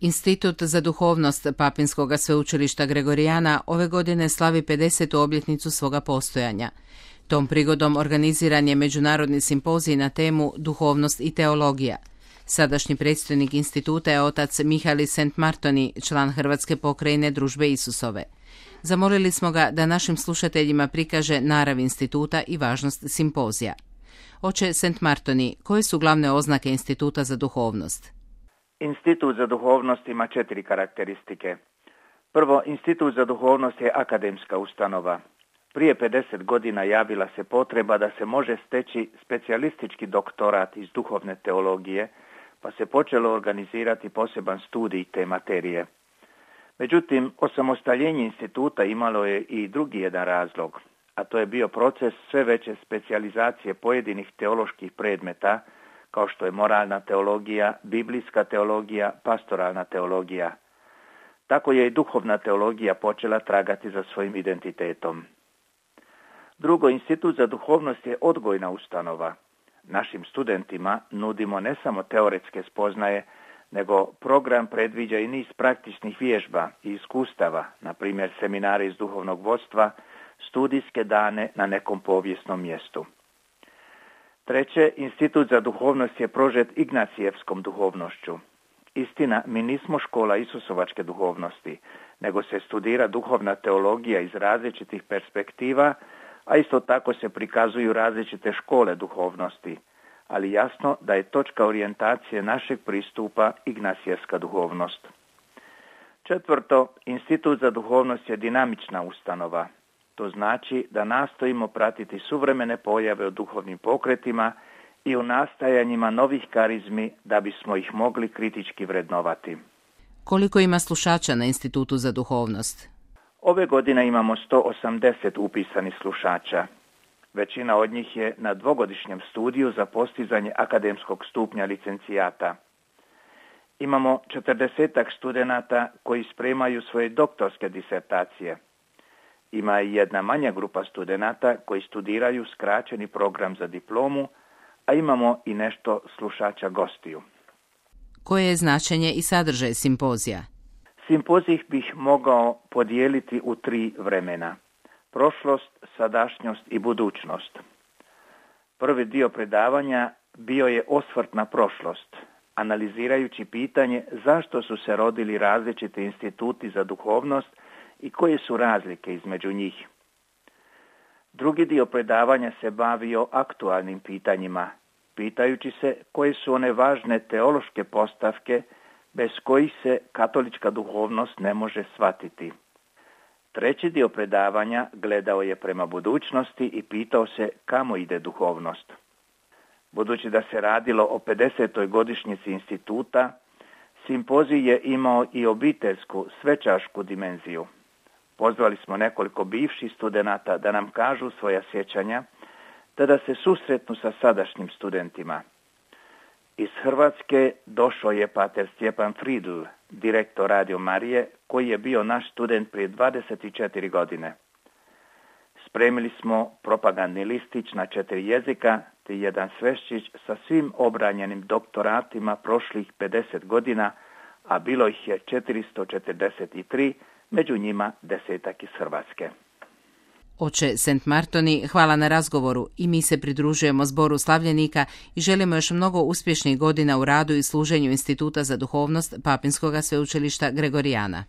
Institut za duhovnost Papinskoga sveučilišta Gregorijana ove godine slavi 50. obljetnicu svoga postojanja. Tom prigodom organiziran je međunarodni simpozij na temu Duhovnost i teologija. Sadašnji predstojnik instituta je otac Mihaeli St. Martoni, član Hrvatske pokrajine Družbe Isusove. Zamolili smo ga da našim slušateljima prikaže narav instituta i važnost simpozija. Oče St. Martoni, koje su glavne oznake Instituta za duhovnost? Institut za duhovnost ima 4 karakteristike. Prvo, Institut za duhovnost je akademska ustanova. Prije 50 godina javila se potreba da se može steći specijalistički doktorat iz duhovne teologije, pa se počelo organizirati poseban studij te materije. Međutim, osamostaljenje instituta imalo je i drugi jedan razlog, a to je bio proces sve veće specijalizacije pojedinih teoloških predmeta, kao što je moralna teologija, biblijska teologija, pastoralna teologija. Tako je i duhovna teologija počela tragati za svojim identitetom. Drugo, Institut za duhovnost je odgojna ustanova. Našim studentima nudimo ne samo teoretske spoznaje, nego program predviđa i niz praktičnih vježba i iskustava, na primjer seminare iz duhovnog vodstva, studijske dane na nekom povijesnom mjestu. Treće, Institut za duhovnost je prožet ignacijevskom duhovnošću. Istina, mi nismo škola isusovačke duhovnosti, nego se studira duhovna teologija iz različitih perspektiva, a isto tako se prikazuju različite škole duhovnosti, ali jasno da je točka orijentacije našeg pristupa ignacijevska duhovnost. Četvrto, Institut za duhovnost je dinamična ustanova. To znači da nastojimo pratiti suvremene pojave u duhovnim pokretima i u nastajanjima novih karizmi da bismo ih mogli kritički vrednovati. Koliko ima slušača na Institutu za duhovnost? Ove godine imamo 180 upisanih slušača. Većina od njih je na dvogodišnjem studiju za postizanje akademskog stupnja licencijata. Imamo 40 studenata koji spremaju svoje doktorske disertacije. Ima i jedna manja grupa studenata koji studiraju skraćeni program za diplomu, a imamo i nešto slušača gostiju. Koje je značenje i sadržaj simpozija? Simpozij bih mogao podijeliti u 3 vremena. Prošlost, sadašnjost i budućnost. Prvi dio predavanja bio je osvrt na prošlost, analizirajući pitanje zašto su se rodili različiti instituti za duhovnost i koje su razlike između njih. Drugi dio predavanja se bavio aktualnim pitanjima, pitajući se koje su one važne teološke postavke bez kojih se katolička duhovnost ne može shvatiti. Treći dio predavanja gledao je prema budućnosti i pitao se kamo ide duhovnost. Budući da se radilo o 50. godišnjici instituta, simpozij je imao i obiteljsku, svečašku dimenziju. Pozvali smo nekoliko bivših studenata da nam kažu svoja sjećanja, te da se susretnu sa sadašnjim studentima. Iz Hrvatske došao je pater Stjepan Fridl, direktor Radio Marije, koji je bio naš student prije 24 godine. Spremili smo propagandni listić na 4 jezika, te jedan sveščić sa svim obranjenim doktoratima prošlih 50 godina, a bilo ih je 443, među njima 10 iz Hrvatske. Oče St. Martoni, hvala na razgovoru i mi se pridružujemo zboru slavljenika i želimo još mnogo uspješnih godina u radu i služenju Instituta za duhovnost Papinskoga sveučilišta Gregorijana.